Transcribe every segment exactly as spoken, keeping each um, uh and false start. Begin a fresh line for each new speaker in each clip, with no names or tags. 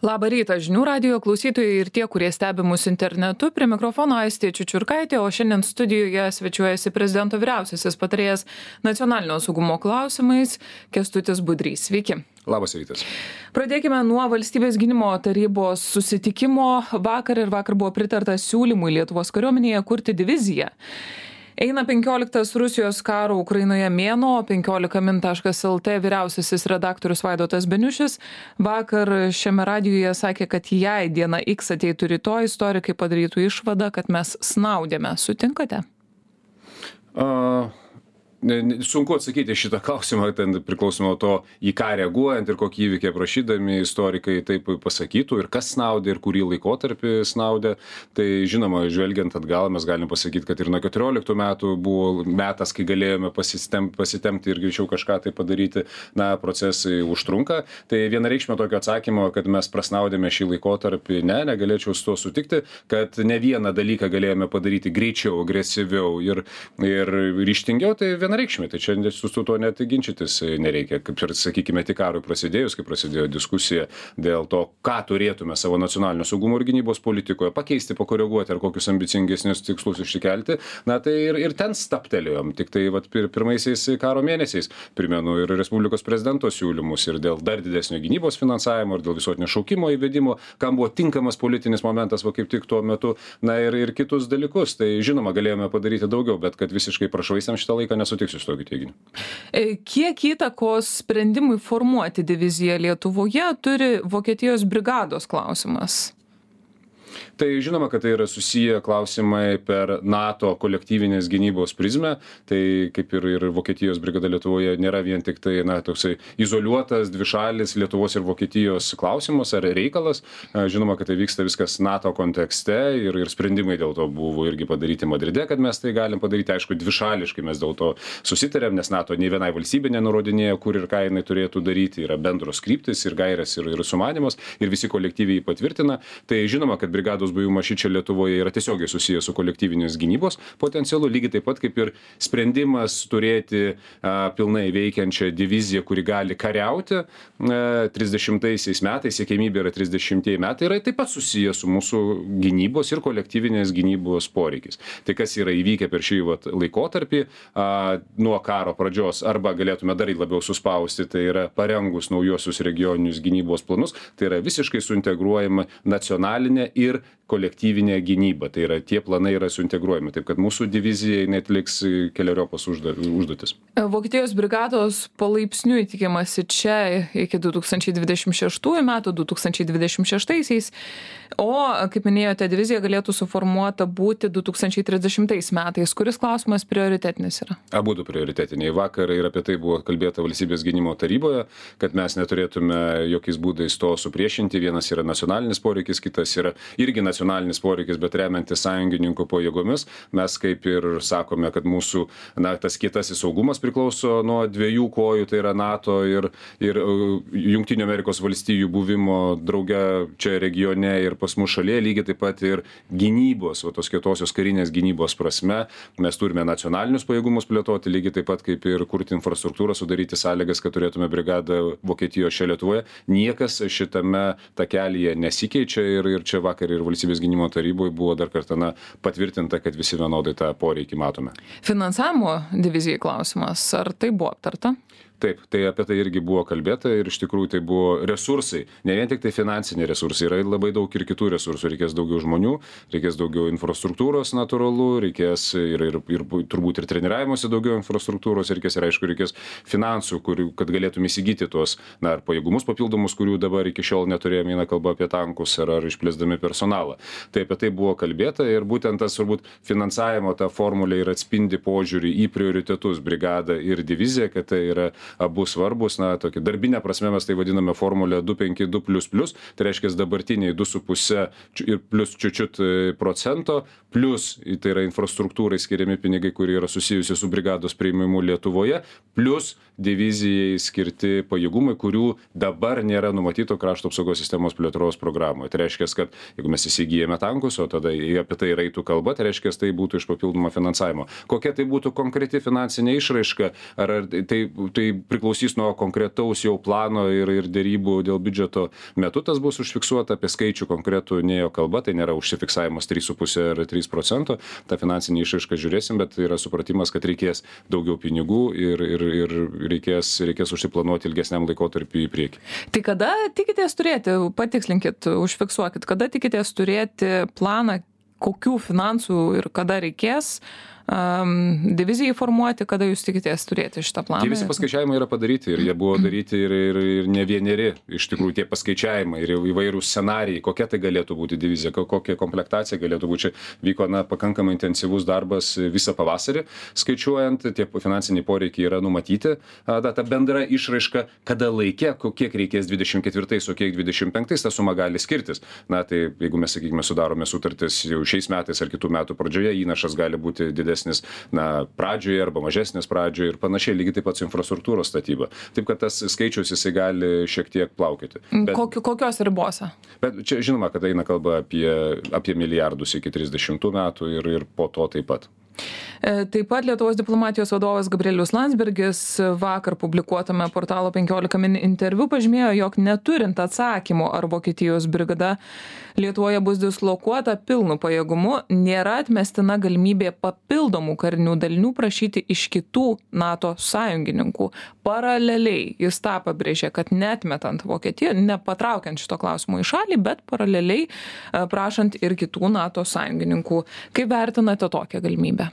Labą rytą žinių radijo klausytojai ir tie, kurie stebi mus internetu. Prie mikrofono Aistė Čiučiurkaitė, o šiandien studijoje svečiuojasi prezidento vyriausiasis patarėjas nacionalinio saugumo klausimais Kęstutis Budrys. Sveiki.
Labas rytas.
Pradėkime nuo valstybės gynimo tarybos susitikimo. Vakar ir vakar buvo pritarta siūlymui Lietuvos kariuomenėje kurti diviziją. Eina penkioliktas Rusijos karo Ukrainoje mėnuo, penkiolika min taškas lt vyriausiasis redaktorius Vaidotas Beniušis vakar šiame radijuje sakė, kad jei diena X ateitų rytoj, istorikai padarytų išvadą, kad mes snaudėme. Sutinkate?
Uh... Sunku atsakyti šitą klausimą, ten priklausomai nuo to, į ką reaguojant ir kokį įvykį aprašydami istorikai taip pasakytų ir kas snaudė ir kurį laikotarpį snaudė. Tai žinoma, žvelgiant atgal, mes galim pasakyti, kad ir nuo keturioliktų metų buvo metas, kai galėjome pasistem, pasitemti ir greičiau kažką tai padaryti. Na, procesai užtrunka. Tai vienareikšmio tokio atsakymo, kad mes prasnaudėme šį laikotarpį, ne, negalėčiau su to sutikti, kad ne vieną dalyką galėjome padaryti greičiau, agresyviau ir, ir ryžtingiau. Tai vienareikšmiai, tai čia su tuo net ginčytis nereikia. Kaip ir, sakykime, tik karui prasidėjus, kai prasidėjo diskusija dėl to, ką turėtume savo nacionalinio saugumo ir gynybos politikoje pakeisti, pakoreguoti ar kokius ambicingesnius tikslus išsikelti, na tai ir, ir ten staptelėjom. Tik tai vat, pir, pirmaisiais karo mėnesiais primenu ir Respublikos prezidento siūlymus ir dėl dar didesnio gynybos finansavimo ir dėl visuotinio šaukimo įvedimo, kam buvo tinkamas politinis momentas, va kaip tik tuo metu, na ir, ir kitus dalykus. Tai žinoma, galėjome padaryti daugiau, bet kad visiškai prašvaistėm šitą laiką nesu tiksiu su tokiu teiginiu.
Kiek įtakos sprendimui formuoti diviziją Lietuvoje turi Vokietijos brigados klausimas?
Tai žinoma, kad tai yra susiję klausimai per NATO kolektyvinės gynybos prizmę. Tai kaip ir, ir Vokietijos brigada Lietuvoje nėra vien tik tai, na, toksai izoliuotas dvišalis Lietuvos ir Vokietijos klausimas ar reikalas. Žinoma, kad tai vyksta viskas NATO kontekste ir, ir sprendimai dėl to buvo irgi padaryti Madride, kad mes tai galim padaryti. Aišku, dvišališkai mes dėl to susitarėm, nes NATO nei vienai valstybė nenurodinėja, kur ir ką jinai turėtų daryti. Yra bendros kryptis ir gairės ir, ir sumanymas ir visi kolektyviai patvirtina. Tai žinoma, kad brigados buvimas šičia Lietuvoje yra tiesiogiai susijęs su kolektyvinės gynybos potencialu, lygiai taip pat kaip ir sprendimas turėti a, pilnai veikiančią diviziją, kuri gali kariauti a, trisdešimtaisiais metais, siekiamybė yra trisdešimtieji metai, yra taip pat susijęs su mūsų gynybos ir kolektyvinės gynybos poreikis. Tai kas yra įvykę per šį vat, laikotarpį a, nuo karo pradžios, arba galėtume dar labiau suspausti, tai yra parengus naujosius regioninius gynybos planus, tai yra visiškai suintegruojama nacionalinė ir kolektyvinė gynyba. Tai yra, tie planai yra suintegruojami. Taip, kad mūsų divizijai netliks keleriopos užduotis.
Vokietijos brigados palaipsniui tikimasi čia iki du tūkstančiai dvidešimt šeštųjų metų, du tūkstančiai dvidešimt šeštaisiais, o, kaip minėjote, divizija galėtų suformuota būti du tūkstančiai trisdešimtais metais. Kuris klausimas prioritetinis yra?
Abudu prioritetiniai. Vakar ir apie tai buvo kalbėta Valstybės gynimo taryboje, kad mes neturėtume jokiais būdais to supriešinti. Vienas yra nacionalinis poreikis, kitas yra irgi nacionalinis nacionalinis poreikis, bet remiantis sąjungininkų pajėgomis. Mes kaip ir sakome, kad mūsų, na, tas kietasis saugumas priklauso nuo dviejų kojų, tai yra NATO ir, ir Jungtinių Amerikos valstijų buvimo drauge čia regione ir pas mus šalyje, lygiai taip pat ir gynybos, o tos kietosios karinės gynybos prasme. Mes turime nacionalinius pajėgumus plėtoti, lygiai taip pat kaip ir kurti infrastruktūrą, sudaryti sąlygas, kad turėtume brigadą Vokietijos čia Lietuvoje. Niekas šitame takelyje nesikeičia ir, ir čia vakar ir Valstybės gynimo taryboje buvo dar kartą na, patvirtinta, kad visi vienodai tą poreikį matome.
Finansavimo divizijai klausimas, ar tai buvo aptarta?
Taip, tai apie tai irgi buvo kalbėta ir iš tikrųjų tai buvo resursai, ne vien tik tai finansiniai resursai, yra labai daug ir kitų resursų, reikės daugiau žmonių, reikės daugiau infrastruktūros natūralu, reikės ir, ir, ir turbūt ir treniravimuose daugiau infrastruktūros, reikės ir aišku, reikės finansų, kurių, kad galėtume įsigyti tuos na, pajėgumus papildomus, kurių dabar iki šiol neturėjome, eina kalba apie tankus ar, ar išplėsdami personalą. Tai apie tai buvo kalbėta ir būtent tas turbūt finansavimo ta formulė ir atspindi požiūrį į prioritetus brigadą ir diviziją, kad tai yra abu svarbus, na, tokia darbinė prasme mes tai vadiname formulę du penki du plius plius, tai reiškia dabartiniai du su puse ir plius čiučiut procento, plius tai yra infrastruktūrai skiriami pinigai, kurie yra susijusi su brigados priėmimu Lietuvoje, plius divizijai skirti pajėgumai, kurių dabar nėra numatyto krašto apsaugos sistemos plėtros programoje. Tai reiškia, kad jeigu mes įsigijame tankus, o tada apie tai eitų kalba, tai reiškia, tai būtų iš papildomo finansavimo. Kokia tai būtų konkreti finansinė išraiška, ar tai, tai priklausys nuo konkretaus jau plano ir, ir dėrybų dėl biudžeto metu tas bus užfiksuota, apie skaičių konkretų nėjo kalba, tai nėra užsifiksavimas trys su puse ar trys procento, tą finansinį išraišką žiūrėsim, bet yra supratimas, kad reikės daugiau pinigų ir, ir, ir reikės, reikės užsiplanuoti ilgesniam laikotarpiu į priekį.
Tai kada tikitės turėti, patikslinkit, užfiksuokit, kada tikitės turėti planą, kokių finansų ir kada reikės um, divizijai formuoti, kada jūs tikitės turėti šitą planą?
Tie visi paskaičiavimai yra padaryti ir jie buvo daryti ir, ir, ir ne vieneri, iš tikrųjų tie paskaičiavimai ir įvairūs scenarijai, kokia tai galėtų būti divizija, kokia komplektacija galėtų būti. Čia vyko na, pakankamai intensyvus darbas visą pavasarį, skaičiuojant, tie finansiniai poreikiai yra numatyti, ta, ta bendra išraiška, kada laikė, kiek reikės dvidešimt ketvirtais, o kiek dvidešimt penktais, ta suma gali skirtis. Na tai jeigu mes, sakykime, sudarome sutartis jau šiais metais ar kitų metų pradžioje, įnašas gali būti didesnis na, pradžioje arba mažesnis pradžioje ir panašiai, lygiai taip pat su infrastruktūros statyba. Taip, kad tas skaičius jisai gali šiek tiek plaukioti. Bet,
Kokiu, kokios ribose?
Bet čia žinoma, kad eina kalba apie, apie milijardus iki trisdešimtų metų ir, ir po to taip pat.
Taip pat Lietuvos diplomatijos vadovas Gabrielius Landsbergis vakar publikuotame portalo penkiolika min interviu pažymėjo, jog neturint atsakymo, ar Vokietijos brigada Lietuvoje bus dislokuota pilnu pajėgumu, nėra atmestina galimybė papildomų karinių dalinių prašyti iš kitų NATO sąjungininkų. Paraleliai jis tą pabrėžė, kad neatmetant Vokietiją, nepatraukiant šito klausimo į šalį, bet paraleliai prašant ir kitų NATO sąjungininkų. Kaip vertinate tokią galimybę?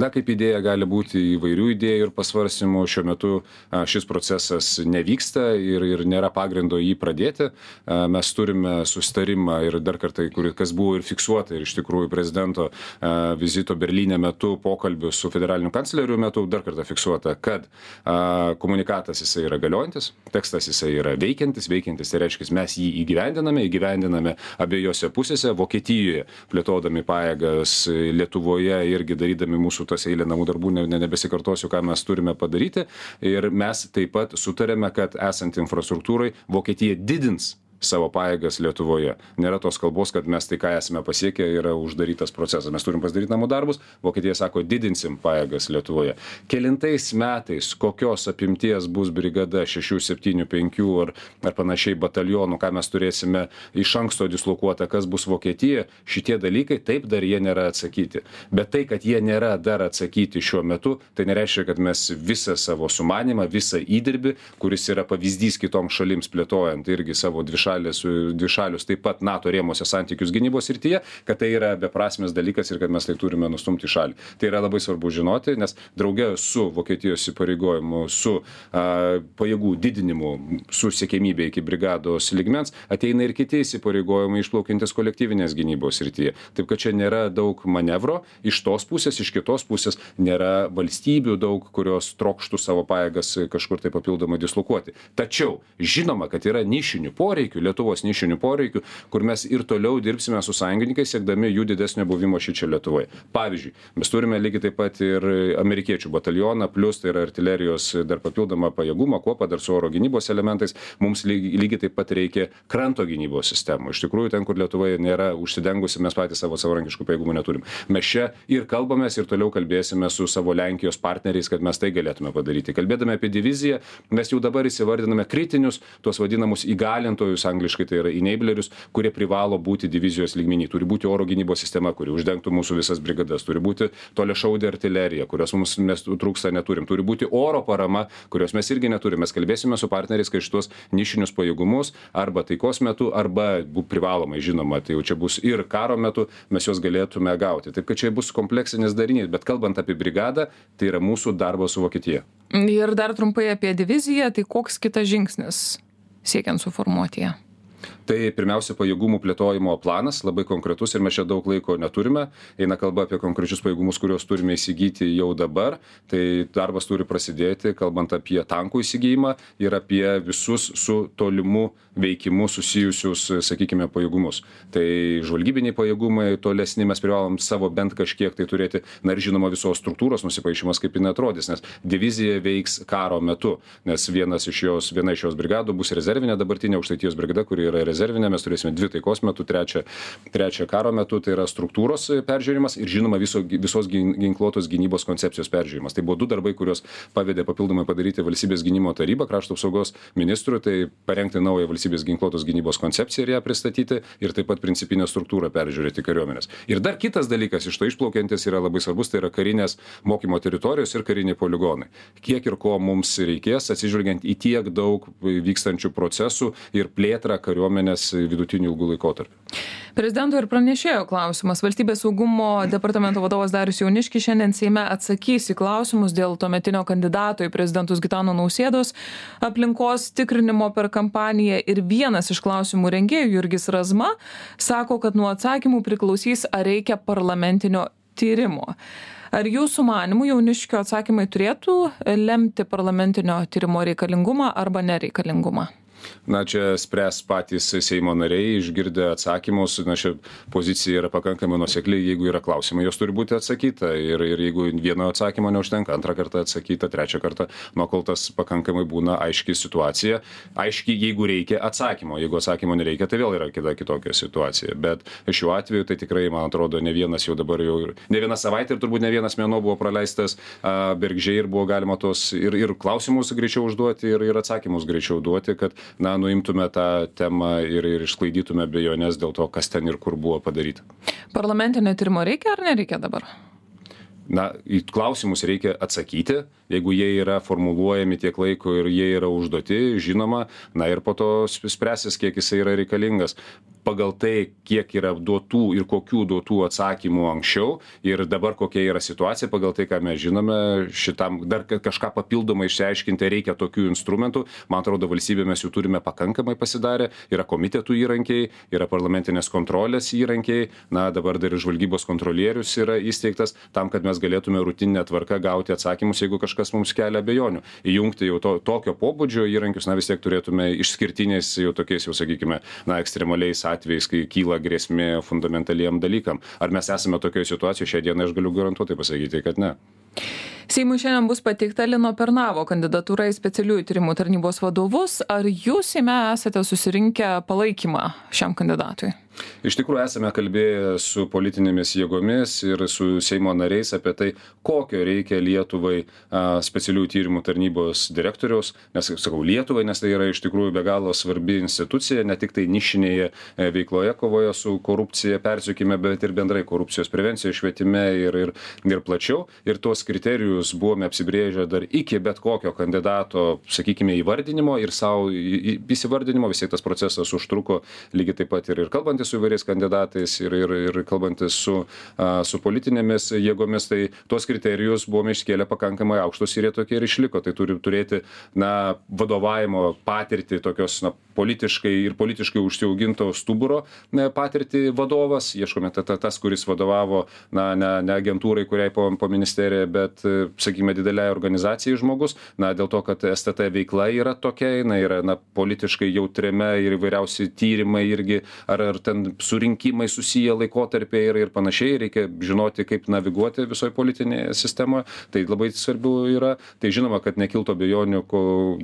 Na, kaip idėja gali būti įvairių idėjų ir pasvarstymų. Šiuo metu a, šis procesas nevyksta ir, ir nėra pagrindo jį pradėti. A, mes turime susitarimą ir dar kartą, kur, kas buvo ir fiksuota ir iš tikrųjų prezidento a, vizito Berlyne metu, pokalbių su federaliniu kancleriu metu, dar kartą fiksuota, kad a, komunikatas jisai yra galiojantis, tekstas jisai yra veikiantis, veikiantis, tai reiškia, mes jį įgyvendiname, įgyvendiname abiejose pusėse, Vokietijoje plėtodami pajėgas, Lietuvoje irgi darydami mūsų tas eilė namų darbų, ne, ne, nebesikartosiu, ką mes turime padaryti. Ir mes taip pat sutarėme, kad esant infrastruktūrai Vokietija didins savo pajėgas Lietuvoje. Nėra tos kalbos, kad mes tai, ką esame pasiekę, yra uždarytas procesas. Mes turim pasidaryti namų darbus, Vokietija sako, didinsim pajėgas Lietuvoje. Kelintais metais, kokios apimties bus brigada šešių, septynių, penkių ar, ar panašiai batalionų, ką mes turėsime iš anksto dislokuota, kas bus Vokietija, šitie dalykai taip dar jie nėra atsakyti. Bet tai, kad jie nėra dar atsakyti šiuo metu, tai nereiškia, kad mes visą savo sumanimą, visą įdirbį, kuris yra pavyzdys kitoms šalims plėtojant irgi savo dvišalius dvišalius taip pat NATO rėmose santykius gynybos srityje, kad tai yra beprasmis dalykas ir kad mes tai turime nustumti į šalį. Tai yra labai svarbu žinoti, nes drauge su Vokietijos įpareigojimu, su a, pajėgų didinimu, su siekiamybė iki brigados lygmens, ateina ir kiti įsipareigojimai išplaukiantis kolektyvinės gynybos srityje. Taip, kad čia nėra daug manevro iš tos pusės, iš kitos pusės nėra valstybių daug, kurios trokštų savo pajėgas kažkur tai papildomai dislokuoti. Tačiau žinoma, kad yra nišinių poreikių, Lietuvos nišinių poreikių, kur mes ir toliau dirbsime su sąjungininkais, siekdami jų didesnio buvimo šičia Lietuvoje. Pavyzdžiui, mes turime lygiai taip pat ir amerikiečių batalioną, plus tai yra artilerijos dar papildomą pajėgumą, kuopą dar su oro gynybos elementais. Mums lygiai, lygiai taip pat reikia kranto gynybos sistemų. Iš tikrųjų, ten, kur Lietuvoje nėra užsidengusi, mes patys savo savarankiškų pajėgumų neturim. Mes čia ir kalbamės ir toliau kalbėsime su savo Lenkijos partneriais, kad mes tai galėtume padaryti. Kalbėdami apie diviziją, mes jau dabar įsivardiname kritinius, tuos vadinamus įgalintojus, angliškai tai yra enablerius, kurie privalo būti divizijos lygmenį. Turi būti oro gynybos sistema, kuri uždengtų mūsų visas brigadas. Turi būti toliašaudė artilerija, kurios mums mes trūksta neturim. Turi būti oro parama, kurios mes irgi neturime. Mes kalbėsime su partneriais, kai šitos nišinius pajėgumus arba taikos metu, arba privalomai, žinoma, tai jau čia bus ir karo metu, mes juos galėtume gauti. Taip, kad čia bus kompleksinis darinys, bet kalbant apie brigadą, tai yra mūsų darbas su Vokietija.
Ir dar trumpai apie diviziją, tai koks kitas žingsnis siekiant suformuoti ją?
Tai pirmiausia pajėgumų plėtojimo planas, labai konkretus ir mes čia daug laiko neturime. Eina kalba apie konkrečius pajėgumus, kuriuos turime įsigyti jau dabar. Tai darbas turi prasidėti, kalbant apie tankų įsigijimą ir apie visus su tolimu veikimu susijusius, sakykime, pajėgumus. Tai žvalgybiniai pajėgumai tolesni mes privalom savo bent kažkiek tai turėti. Na ir žinoma visos struktūros nusipaišymas, kaip jinai atrodys, nes divizija veiks karo metu, nes vienas iš jos, viena iš jos brigadų bus rezervinė dabartinė Aukštaitijos brigada, kuri yra rezervinė, mes turėsime dvi taikos metu, trečią, trečią karo metu, tai yra struktūros peržiūrimas ir žinoma viso, visos ginkluotos gynybos koncepcijos peržiūrimas. Tai buvo du darbai, kuriuos pavedė papildomai padaryti Valstybės gynimo taryba, krašto apsaugos ministrui, tai parengti naują Valstybės ginkluotos gynybos koncepciją ir ją pristatyti ir taip pat principinę struktūrą peržiūrėti kariuomenės. Ir dar kitas dalykas iš to išplaukiantis yra labai svarbus, tai yra karinės mokymo teritorijos ir kariniai poligonai. Kiek ir ko mums reikės, atsižvelgiant į tiek daug vykstančių procesų ir plėtrą kariuomenės vidutinių ilgų laikotarpių.
Prezidento ir pranešėjo klausimas. Valstybės saugumo departamento vadovas Darius Jauniškis šiandien Seime atsakys į klausimus dėl tuometinio kandidato į prezidentus Gitano Nausėdos aplinkos tikrinimo per kampaniją ir vienas iš klausimų rengėjų Jurgis Razma sako, kad nuo atsakymų priklausys, ar reikia parlamentinio tyrimo. Ar jūsų manimų Jauniškio atsakymai turėtų lemti parlamentinio tyrimo reikalingumą arba nereikalingumą?
Na, čia spręs patys Seimo nariai, išgirdę atsakymus, na, ši pozicija yra pakankamai nuosekli, jeigu yra klausimai, jos turi būti atsakyta ir, ir jeigu vieno atsakymo neužtenka, antrą kartą atsakyta, trečią kartą, nuo kol tas pakankamai būna aiški situacija, aiški, jeigu reikia atsakymo, jeigu atsakymo nereikia, tai vėl yra kita kitokia situacija, bet šiuo atveju tai tikrai, man atrodo, ne vienas jau dabar jau, ne viena savaitė ir turbūt ne vienas mėnuo buvo praleistas a, Bergždžiai ir buvo galima tos ir, ir klausimus greičiau užduoti ir, ir atsakymus greičiau duoti, kad na, nuimtume tą temą ir, ir išsklaidytume abejonės dėl to, kas ten ir kur buvo padaryta.
Parlamentinio tyrimo reikia ar nereikia dabar?
Na, į klausimus reikia atsakyti, jeigu jie yra formuluojami tiek laiko ir jie yra užduoti, žinoma, na ir po to spręsis, kiek jisai yra reikalingas. Pagal tai, kiek yra duotų ir kokių duotų atsakymų anksčiau ir dabar kokia yra situacija, pagal tai, ką mes žinome, šitam dar kažką papildomai išsiaiškinti reikia tokių instrumentų. Man atrodo, valstybė mes jų turime pakankamai pasidarę, yra komitetų įrankiai, yra parlamentinės kontrolės įrankiai, na dabar dar ir žvalgybos kontrolierius yra įsteigtas tam, kad mes galėtume rutininę tvarką gauti atsakymus, jeigu kažkas mums kelia abejonių. Įjungti jau to, tokio pobūdžio įrankius, na vis tiek turėtume išskirtiniais jau tokiais, jau sakykime, na ekstremaliais atvejais, kai kyla grėsmė fundamentaliem dalykam. Ar mes esame tokioje situacijoje šią dieną, aš galiu garantuotai pasakyti, kad ne.
Seimui šiandien bus pateikta Lino Pernavo kandidatūra į specialiųjų tyrimų tarnybos vadovus. Ar jūs Seime esate susirinkę palaikymą šiam kandidatui?
Iš tikrųjų esame kalbėję su politinėmis jėgomis ir su Seimo nariais apie tai, kokio reikia Lietuvai a, specialiųjų tyrimų tarnybos direktoriaus, nes, sakau, Lietuvai, nes tai yra iš tikrųjų be galo svarbi institucija, ne tik tai nišinėje veikloje kovoje su korupcija, persiekime, bet ir bendrai korupcijos prevencijoje, švietime ir, ir, ir plačiau. Ir tuos kriterijus buvome apsibrėžę dar iki bet kokio kandidato, sakykime, įvardinimo ir savo įsivardinimo. Visiai tas procesas užtruko lygiai taip pat ir, ir kalbantis su įvairiais kandidatais ir, ir, ir kalbantis su, a, su politinėmis jėgomis, tai tuos kriterijus buvome iškėlę pakankamai aukštus ir jie tokie ir išliko. Tai turi turėti, na, vadovavimo patirtį, tokios, na, politiškai ir politiškai užsiauginto stuburo ne, patirtį vadovas. Ieškome ta, ta, tas, kuris vadovavo, na, ne, ne agentūrai, kuriai po, po ministerija, bet, sakykime, dideliai organizacijai žmogus. Na, dėl to, kad S T T veikla yra tokia, na, yra, na, politiškai jautriame ir įvairiausi tyrimai irgi, ar, ar ten surinkimai susiję laikotarpiai ir, ir panašiai, reikia žinoti, kaip naviguoti visoje politinėje sistemoje, tai labai svarbu yra. Tai žinoma, kad nekilto abejonių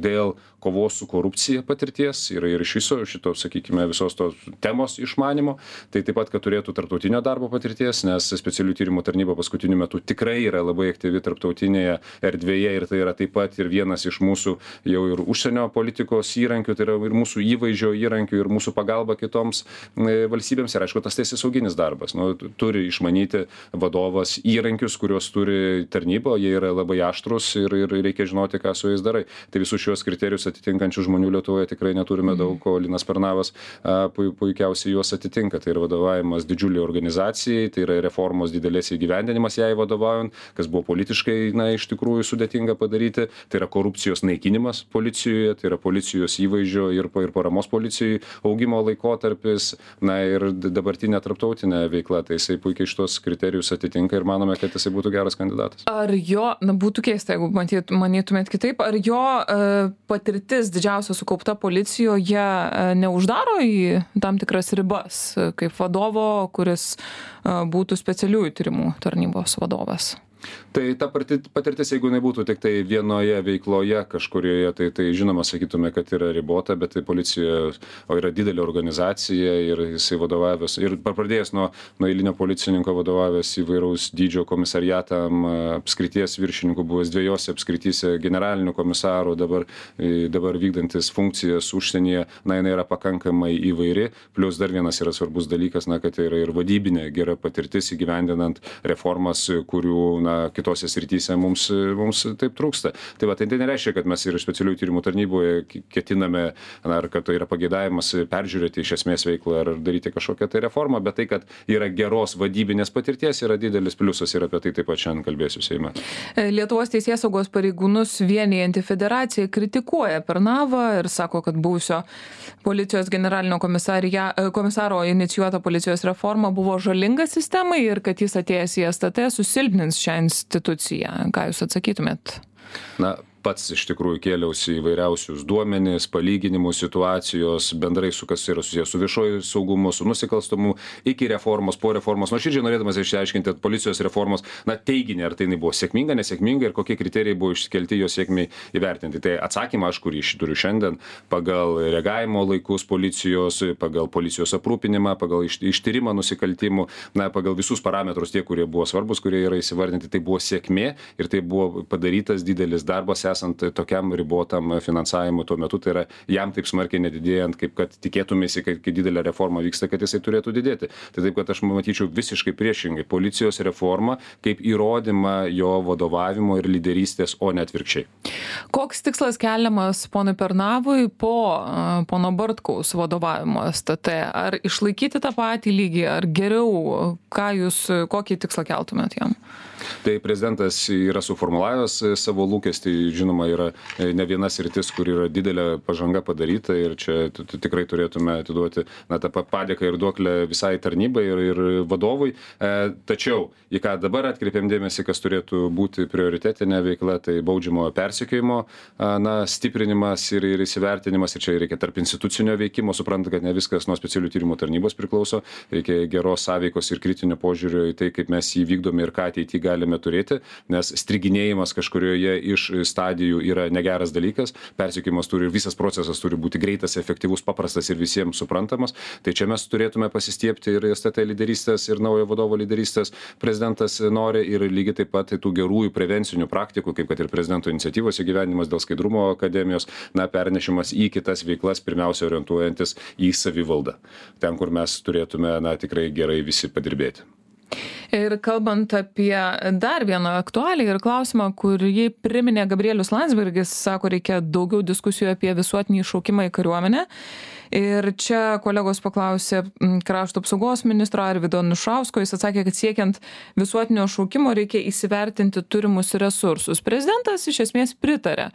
dėl kovos su korupcija patirties ir, ir iš viso šito, sakykime, visos tos temos išmanimo, tai taip pat, kad turėtų tarptautinio darbo patirties, nes specialių tyrimų tarnyba paskutiniu metu tikrai yra labai aktyvi tarptautinėje erdvėje ir tai yra taip pat ir vienas iš mūsų jau ir užsienio politikos įrankių, tai yra ir mūsų įvaizdžio įrankių ir mūsų pagalba kitoms valstybėms ir aišku tas teisėsauginis darbas. Nu, turi išmanyti vadovas įrankius, kuriuos turi tarnyba, jie yra labai aštrus ir, ir reikia žinoti, ką su jais darai. Tai visus šios kriterijus atitinkančių žmonių Lietuvoje tikrai neturime daug, o Linas Pernavas a, puikiausiai juos atitinka. Tai yra vadovavimas didžiuliai organizacijai, tai yra reformos didelės įgyvendinimas jai vadovaujant, kas buvo politiškai, na, iš tikrųjų sudėtinga padaryti. Tai yra korupcijos naikinimas policijoje, tai yra policijos įvaizdžio ir, ir paramos policijai augimo laikotarpis. Na ir dabartinė tarptautinė veikla, tai jisai puikiai šitos kriterijus atitinka ir manome, kad jisai būtų geras kandidatas.
Ar jo, na būtų keista, jeigu matyt, manytumėt kitaip, ar jo e, patirtis didžiausia sukaupta policijoje e, neuždaro į tam tikras ribas, kaip vadovo, kuris e, būtų specialiųjų tyrimų tarnybos vadovas?
Tai ta patirtis, jeigu jinai būtų tik tai vienoje veikloje kažkurioje, tai, tai žinoma, sakytume, kad yra ribota, bet tai policija, o yra didelė organizacija ir jisai vadovavęs, ir pradėjęs nuo, nuo eilinio policininko vadovavęs įvairaus dydžio komisariatam, apskrities viršininkų, buvęs dviejose apskrityse generalinių komisarų, dabar, dabar vykdantis funkcijas užsienyje, na, jinai yra pakankamai įvairi, plus dar vienas yra svarbus dalykas, na, kad tai yra ir vadybinė gera patirtis įgyvendinant reformas, kurių, na, kitose srityse mums, mums taip trūksta. Tai va, tai nereiškia, kad mes ir specialiųjų tyrimų tarnyboje ketiname, na, ar kad tai yra pageidavimas peržiūrėti iš esmės veiklą ar daryti kažkokią tai reformą, bet tai, kad yra geros vadybinės patirties, yra didelis pliusas ir apie tai taip pat šiandien kalbėsiu Seime.
Lietuvos teisėsaugos pareigūnus vienijanti federacija kritikuoja Pernavą ir sako, kad buvusio policijos generalinio komisaro inicijuota policijos reforma buvo žalinga sistemai ir kad jis atėjęs į S T T susilpnins šią instituciją. Ką jūs atsakytumėt?
Na, pats iš tikrųjų kėliausi įvairiausius duomenis, palyginimus, situacijos, bendrai su kas yra susijęs su viešoju saugumu, su nusikalstamu, iki reformos, po reformos. Nuoširdžiai norėdamas išsiaiškinti policijos reformos, na, teiginį, ar tai buvo sėkminga, nesėkminga ir kokie kriterijai buvo iškelti jo sėkmiai įvertinti. Tai atsakymą aš, kurį turiu šiandien, pagal reagavimo laikus policijos, pagal policijos aprūpinimą, pagal ištyrimą nusikaltimų, na, pagal visus parametrus tie, kurie buvo svarbus, kurie yra įsivardinti, tai buvo sėkmė ir tai buvo padarytas didelis darbas esant tokiam ribotam finansavimui tuo metu, tai yra jam taip smarkiai nedidėjant, kaip kad tikėtumėsi, kai, kai didelė reforma vyksta, kad jisai turėtų didėti. Tai taip, kad aš matyčiau visiškai priešingai policijos reformą kaip įrodymą jo vadovavimo ir lyderystės, o ne atvirkščiai.
Koks tikslas keliamas ponui Pernavui po uh, pono Bartkaus vadovavimo S T T? Ar išlaikyti tą patį lygį, ar geriau, ką jūs, kokį tikslą keltumėt jam?
Tai prezidentas yra suformulavęs savo lūkestį, žinoma, yra ne viena sritis, kur yra didelė pažanga padaryta ir čia tikrai turėtume atiduoti, na, tą padėką ir duoklę visai tarnybai ir, ir vadovui. E, tačiau, į ką dabar atkreipiam dėmesį, kas turėtų būti prioritetinė veikla, tai baudžiamojo persekiojimo, na, stiprinimas ir, ir įsivertinimas, ir čia reikia tarp institucinio veikimo, supranta, kad ne viskas nuo specialių tyrimų tarnybos priklauso, reikia geros sąveikos ir kritinio požiūrio į tai, kaip mes jį vykdome ir ką ateityje galime turėti, nes striginėjimas kažkurioje iš stadijų yra negeras dalykas, persekiojimas turi ir visas procesas turi būti greitas, efektyvus, paprastas ir visiems suprantamas. Tai čia mes turėtume pasistiebti ir S T T lyderystės, ir naujo vadovo lyderystės prezidentas nori, ir lygiai taip pat tų gerųjų prevencinių praktikų, kaip kad ir prezidento iniciatyvos įgyvendinimas dėl skaidrumo akademijos, na, pernešimas į kitas veiklas, pirmiausia orientuojantis į savivaldą. Ten, kur mes turėtume, na, tikrai gerai visi padirbėti.
Ir kalbant apie dar vieną aktualią ir klausimą, kurį priminė Gabrielius Landsbergis, sako, reikia daugiau diskusijų apie visuotinį šaukimą į kariuomenę. Ir čia kolegos paklausė krašto apsaugos ministro Arvydo Anušausko, jis atsakė, kad siekiant visuotinio šaukimo reikia įsivertinti turimus resursus. Prezidentas iš esmės pritarė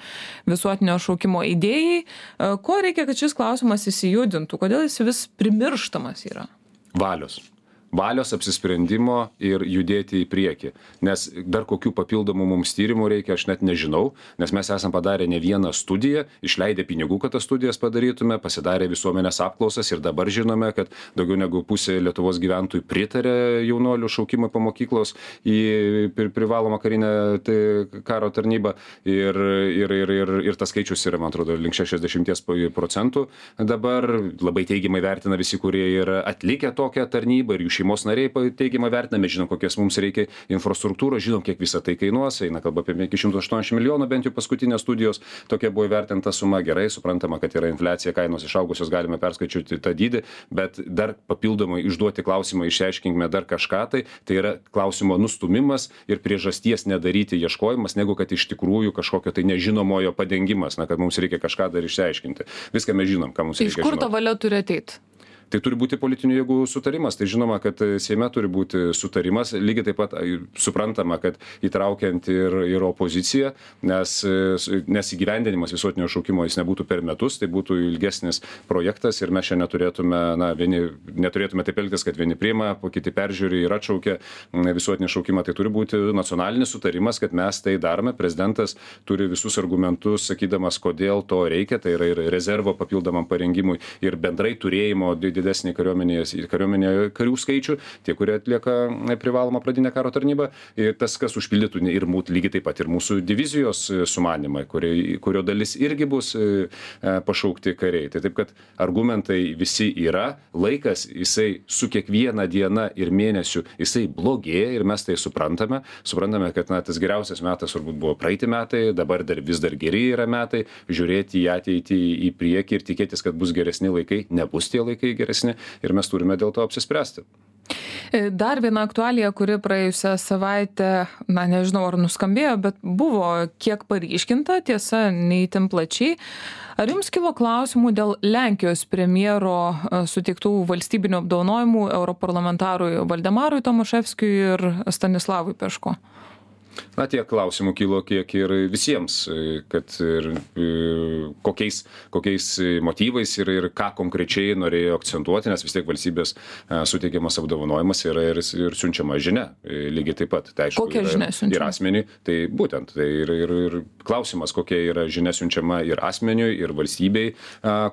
visuotinio šaukimo idėjai. Ko reikia, kad šis klausimas įsijudintų? Kodėl jis vis primirštamas yra?
Valios. Valios, apsisprendimo ir judėti į priekį. Nes dar kokių papildomų mums tyrimų reikia, aš net nežinau, nes mes esam padarę ne vieną studiją, išleidę pinigų, kad tas studijas padarytume, pasidarę visuomenės apklausas ir dabar žinome, kad daugiau negu pusė Lietuvos gyventojų pritarė jaunuolių šaukimui po mokyklos į privalomą karinę tai, karo tarnybą ir, ir, ir, ir, ir tas skaičius yra, man atrodo, link šešiasdešimt procentų. Dabar labai teigiamai vertina visi, kurie yra atlikę tokią tarnybą ir jų šeimos nariai teigiamai vertiname, žinom, kokias mums reikia infrastruktūros, žinom, kiek visą tai kainuos, eina kalba apie iki šimto aštuoniasdešimt milijonų, bent jau paskutinės studijos, tokia buvo įvertinta suma, gerai, suprantama, kad yra infliacija, kainos išaugusios, galime perskaičiuoti tą dydį, bet dar papildomai išduoti klausimą, išsiaiškinkime dar kažką, tai tai yra klausimo nustumimas ir priežasties nedaryti ieškojimas, negu kad iš tikrųjų kažkokio tai nežinomojo padengimas, na, kad mums reikia kažką dar išsiaiškinti. Viską mes žinom, ką mums reikia žinoti.
Iš kur ta valia turi ateiti?
Tai turi būti politinių jėgų sutarimas. Tai žinoma, kad Seime turi būti sutarimas, lygiai taip pat suprantama, kad įtraukiant ir, ir opoziciją, nes, nes įgyvendinimas visuotinio šaukimo jis nebūtų per metus, tai būtų ilgesnis projektas ir mes čia neturėtume, na, vieni, neturėtume taip elgtis, kad vieni priima, po kiti peržiūri ir atšaukia visuotinį šaukimą. Tai turi būti nacionalinis sutarimas, kad mes tai darome. Prezidentas turi visus argumentus, sakydamas, kodėl to reikia, tai yra ir rezervo papildomam parengimui ir bendrai turėjimo didesnį kariuomenės, kariuomenė karių skaičių, tie, kurie atlieka privalomą pradinę karo tarnybą, ir tas, kas užpildytų ir mūsų, lygiai taip pat ir mūsų divizijos sumanimai, kurio, kurio dalis irgi bus pašaukti kariai. Tai taip, kad argumentai visi yra, laikas jisai su kiekviena diena ir mėnesiu jisai blogėja ir mes tai suprantame. Suprantame, kad na, tas geriausias metas turbūt buvo praeiti metai, dabar dar vis dar geri yra metai, žiūrėti į ateitį, į priekį ir tikėtis, kad bus geresni laikai, nebus tie laikai geresni ir mes turime dėl to apsispręsti.
Dar viena aktualija, kuri praėjusią savaitę, na nežinau ar nuskambėjo, bet buvo kiek paryškinta, tiesa, neįtin plačiai. Ar jums kilo klausimų dėl Lenkijos premjero suteiktų valstybinių apdovanojimų europarlamentarui Valdemarui Tomaševskiui ir Stanislavui Peško?
Na, tiek klausimų kilo kiek ir visiems, kad ir kokiais, kokiais motyvais ir, ir ką konkrečiai norėjo akcentuoti, nes vis tiek valstybės suteikiamas apdovanojimas yra ir, ir siunčiama žinia, lygiai taip pat. Tai, aišku,
kokia
yra,
žinia siunčiama?
Ir asmeniui, tai būtent, tai ir, ir, ir klausimas, kokia yra žinia siunčiama ir asmeniui, ir valstybei,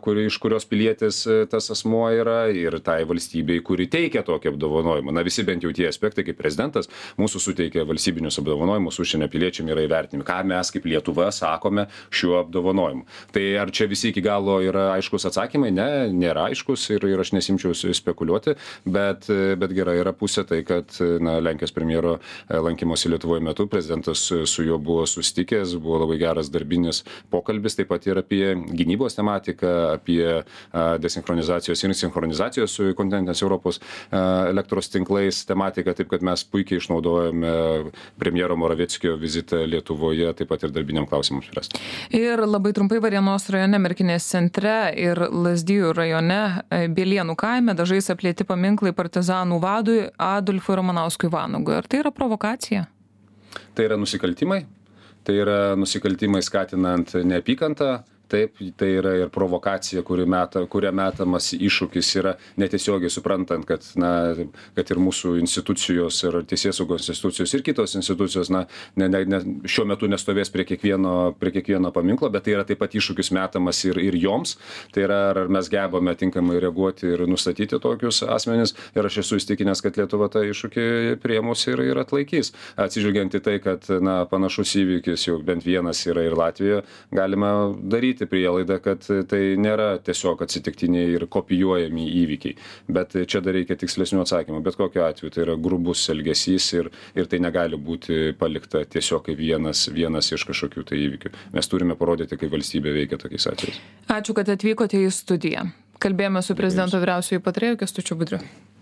kuri, iš kurios pilietis tas asmuo yra, ir tai valstybei, kuri teikia tokį apdovanojimą. Na, visi bent jau tie aspektai, kaip prezidentas mūsų suteikia valstybinius apdovanojimus užsienio piliečiam yra įvertinimi, ką mes kaip Lietuva sakome šiuo apdovanojimu. Tai ar čia visi iki galo yra aiškus atsakymai? Ne, nėra aiškus ir, ir aš nesimčiau spekuliuoti, bet, bet gera yra pusė tai, kad na, Lenkijos premjero lankymosi Lietuvoje metu prezidentas su juo buvo susitikęs, buvo labai geras darbinis pokalbis, taip pat ir apie gynybos tematiką, apie desinchronizacijos ir sinchronizacijos su kontinentinės Europos elektros tinklais tematiką, taip kad mes puikiai išnaudojame premjero Moravieckio vizitą Lietuvoje, taip pat ir darbiniam klausimams spręsti.
Ir labai trumpai Varėnos rajone, Merkinės centre ir Lazdijų rajone, Bielienų kaime dažais aplėti paminklai partizanų vadui Adolfui Ramanauskui Vanagui. Ar tai yra provokacija?
Tai yra nusikaltimai. Tai yra nusikaltimai skatinant neapykantą. Taip, tai yra ir provokacija, kuri meta, kuria metamas iššūkis yra netiesiogiai suprantant, kad, na, kad ir mūsų institucijos ir teisėsaugos institucijos ir kitos institucijos na, ne, ne, ne, šiuo metu nestovės prie kiekvieno, prie kiekvieno paminklo, bet tai yra taip pat iššūkis metamas ir, ir joms. Tai yra, ar mes gebame tinkamai reaguoti ir nustatyti tokius asmenis. Ir aš esu įstikinęs, kad Lietuva tą iššūkį priėmus ir, ir atlaikys. Atsižvelgiant į tai, kad na, panašus įvykis jau bent vienas yra ir Latvijoje, galima daryti prielaidą, kad tai nėra tiesiog atsitiktiniai ir kopijuojami įvykiai. Bet čia dar reikia tikslesnių atsakymų. Bet kokiu atveju tai yra grubus elgesys ir, ir tai negali būti palikta tiesiog kaip vienas, vienas iš kažkokių tai įvykių. Mes turime parodyti, kaip valstybė veikia tokiais atvejais.
Ačiū, kad atvykote į studiją. Kalbėjome su prezidento vyriausiuoju patarėju Kęstučiu Budriu.